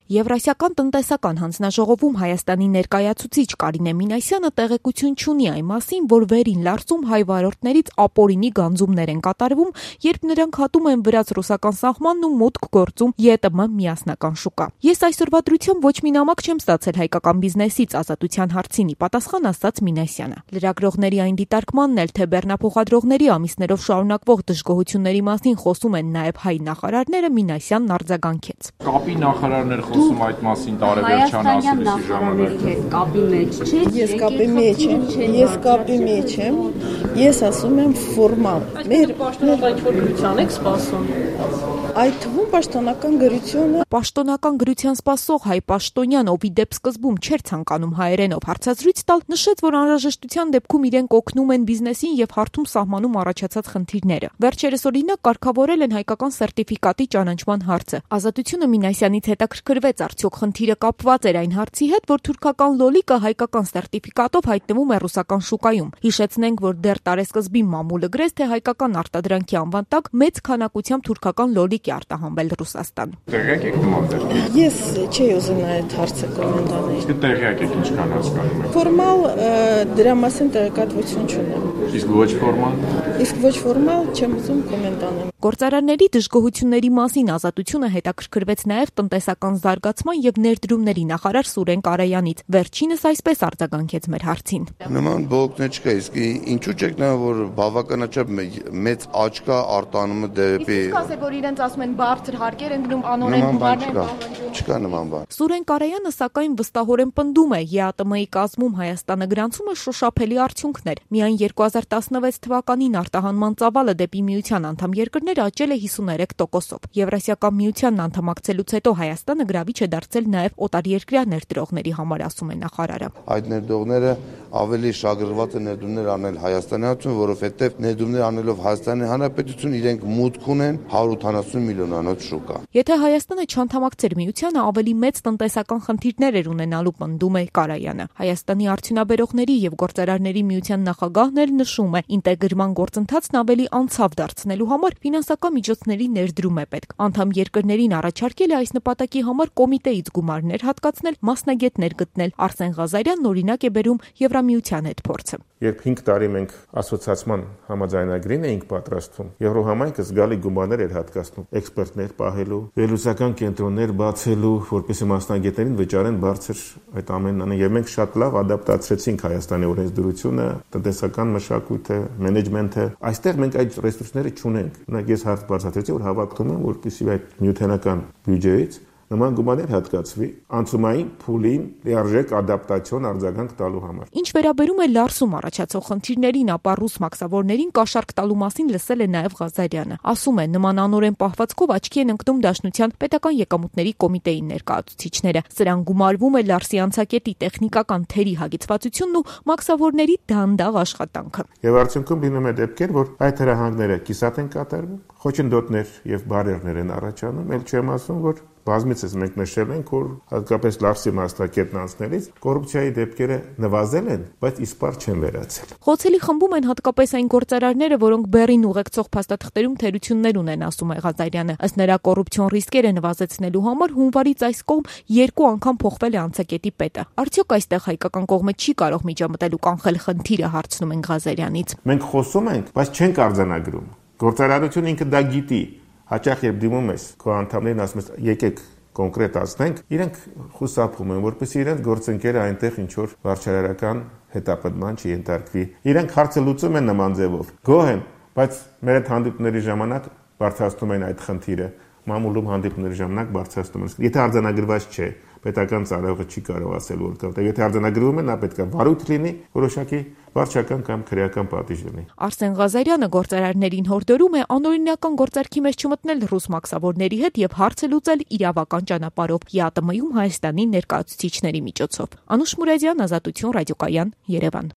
Եվրասիական տնտեսական հանձնաժողովում Հայաստանի ներկայացուցիչ Կարինե Մինասյանը տեղեկություն չունի այն մասին, որ Վերին Լարսում հայ վարորդներից ապօրինի գանձումներ են կատարվում, երբ նրանք հատում են վրաց-ռուսական սահմանն ու մուտք գործում ԵՏՄ միասնական շուկա։ Ես այսօրվա դրությամբ ոչ մի նամակ չեմ ստացել հայկական բիզնեսից ազատության հարցին, ի պատասխան ասաց Մինասյանը։ Լրագրողների այն դիտարկմանն էլ, թե բեռնափոխադրողների ամիսներով շարունակվող դժգոհությունների մասին խոսում են նաև հայ նախարարները, Մինասյանն արձագանքեց։ Կապի նախարարներ խոսում այդ մասին տարեվերջան ասելիսի ժամանակ։ Կապի մեջ չեք։ Ես կապի մեջ եմ։ Ես ասում եմ ֆորմալ։ Մեր պաշտոնական գրության եք սպասում։ Այդ թվում պաշտոնական գրությունը։ Պաշտոնական գրության սպասող հայ պաշտոնյան, ով ի դեպ սկզբում չէր ցանկանում հայերենով հարցազրույց տալ, նշեց, որ անհրաժեշտության դեպքում իրենք օգնում են բիզնեսին եւ հարթում սահմանում առաջացած խնդիրները։ Վերջերս օրինակ կարգավորել են հայկական սերտիֆիկատի ճանաչման հարցը։ Ազատությունը Մինասյանից հետաքրքրվեց, արդյոք խնդիրը կապված էր այն հարցի հետ, որ թուրքական լոլիկը հայկական սերտիֆիկատով հայտնվում է ռուսական շուկայում։ Հիշեցնենք, որ դեռ տարեսկզբին մամուլը գրեց, թե հայկական արտադրանքի անվան տակ մեծ քանակությամբ թուրքական լոլիկ է արտահանվել Ռուսաստան։ Տեղյակ եք նման դեպքի։ Ես չէի ուզում այդ հարցը կոմենտ անել։ Տեղյակ եք ինչքան հասկանում եք։ Ֆորմալ դրա մասին տեղեկատվություն չունեմ։ Իսկ ոչ ֆորմալ։ Իսկ ոչ ֆորմալ չեմ ուզում կոմենտ անել։ Գործարանների դժգոհությունների մասին Ազատությունը հետաքրքրվեց նաև տնտեսական զարգացման եւ ներդրումների նախարար Սուրեն Կարայանից։ Վերջինս այսպես արձագանքեց մեր հարցին։ Նման բողոքներ չկա, իսկ ինչու՞ չեք նայում, որ բավականաչափ մեծ աճ կա արտանումը դեպի։ Իսկ ասեք, որ իրենց ասում են բարձր հարկեր են գնում, անօրեն գումարներ են։ Չկա նման բան։ Սուրեն Կարայանը սակայն վստահորեն պնդում է, ԵԱՏՄ-ի կազմում Հայաստանը գրանցումը շոշափելի արդյունքներ։ Միայն 2016 թվականին արտահանման ծավալը դեպի միության անդամ երկրներ աճել է 53%-ով։ Եվրասիական միությանն անդամակցելուց հետո Հայաստանը գրավիչ է դարձել նաև օտարերկրյա ներդրողների համար, ասում է նախարարը։ Այդ ներդրողները ավելի շահագրգռված են ներդրումներ անել Հայաստանի հանրություն, որովհետև ներդրումներ անելով Հայաստանի Հանրապետություն իրենք մուտք ունեն 180 միլիոնանոց շուկա։ Եթե Հայաստանը չանդամակցեր միությանը, ավելի մեծ տնտեսական խնդիրներ էր ունենալու, պնդում է Կարայանը։ Հայաստանի արդյունաբերողների եւ գործարարների միության նախագահն էլ նշում է, ինտեգրման գործընթացն ավելի անցավ դարձնելու համար ֆինանսական միջոցների ներդրում է պետք։ Անդամ երկրներին առաջարկել է այս նպատակի համար կոմիտեից գումարներ հատկացնել, մասնագետներ գտնել։ Արսեն Ղազարյանն օրինակ է բերում Եվրամիության հետ փորձը։ Երբ 5 տարի մենք ասոցիացիան համաձայնագրին էինք պատրաստում, Եվրոհամայնքը զգալի գումարներ էր հատկացնում էքսպերտներ պահելու, վերլուծական կենտրոններ բացելու, որպեսզի մասնագետերին վճարեն բարձր այդ ամենն անեն, եւ մենք շատ լավ ադապտացրեցինք Հայաստանի օրենսդրությունը, տնտեսական մշակույթը, մենեջմենթը։ Այստեղ մենք այդ ռեսուրսները չունենք։ Օրինակ ես հարց բարձրացրեցի, որ հավակնում եմ, որպեսզի այդ նյութենական բյուջեից նման գումարներ հատկացվի անցումային փուլին լիարժեք ադապտացիոն արձագանք տալու համար։ Ինչ վերաբերում է Լարսում առաջացող խնդիրներին, ապա ռուս մաքսավորներին կաշառք տալու մասին լսել է նաև Ղազարյանը։ Ասում է, նման անօրեն պահվածքով աչքի են ընկնում Դաշնության պետական եկամուտների կոմիտեի ներկայացուցիչները։ Սրան գումարվում է Լարսի անցակետի տեխնիկական թերի հագեցվածությունն ու մաքսավորների դանդաղ աշխատանքը։ Եվ արդյունքում լինում է դեպքեր, որ այդ հրահանգները կիսատ են կատարվում, խոչընդոտներ եւ բարերներ են առաջանում, ել չեմ ասում, որ բազմիցս մենք նշել ենք, որ հատկապես Լարսի մասնակետն անցնելիս կոռուպցիայի դեպքերը նվազել են, բայց իսպառ չեն վերացել։ Խոցելի խմբում են հատկապես այն գործարարները, որոնք բեռին ուղեկցող փաստաթղթերում թերություններ ունեն, ասում է Ղազարյանը։ Ըստ նրա կոռուպցիոն ռիսկերը նվազեցնելու համար հունվարից այս կողմ 2 անգամ փոխվել է անցակետի պետը։ Արդյոք այստեղ հայկական կողմը չի կարող միջամտել ու կանխել խնդիրը, հարցնում են Ղազարյանից։ Մենք խոսում ենք, բայց չենք արձանագրում։ Գործարարությունը ինքը դա գիտի։ Հաճախ երբ դիմում ես քո անդամներին ասում ես եկեք կոնկրետ ասնենք, իրենք խուսափում են, որպեսզի իրենց գործընկերը այնտեղ ինչ որ վարչարարական հետապնդման չենթարկվի։ Իրենք հարցը լուծում են նման ձևով։ Գոհ են, բայց մեր այդ հանդիպումների ժամանակ բարձրացնում են այդ խնդիրը։ Մամուլում հանդիպումների ժամանակ բարձրացնում են։ Եթե արձանագրված չէ, պետական ծառայողը չի կարող ասել որտեղ։ Եթե արձանագրվում է, նա պետք է վարույթ լինի, որոշակի վարչական կամ քրեական պատիժ լինի։ Արսեն Ղազարյանը գործարարներին հորդորում է անօրինական գործարքի մեջ չմտնել ռուս մաքսավորների հետ եւ հարցը լուծել իրավական ճանապարհով ԵԱՏՄ-ում Հայաստանի ներկայացուցիչների միջոցով։ Անուշ Մուրադյան, Ազատություն, Ռադիոկայան, Երևան։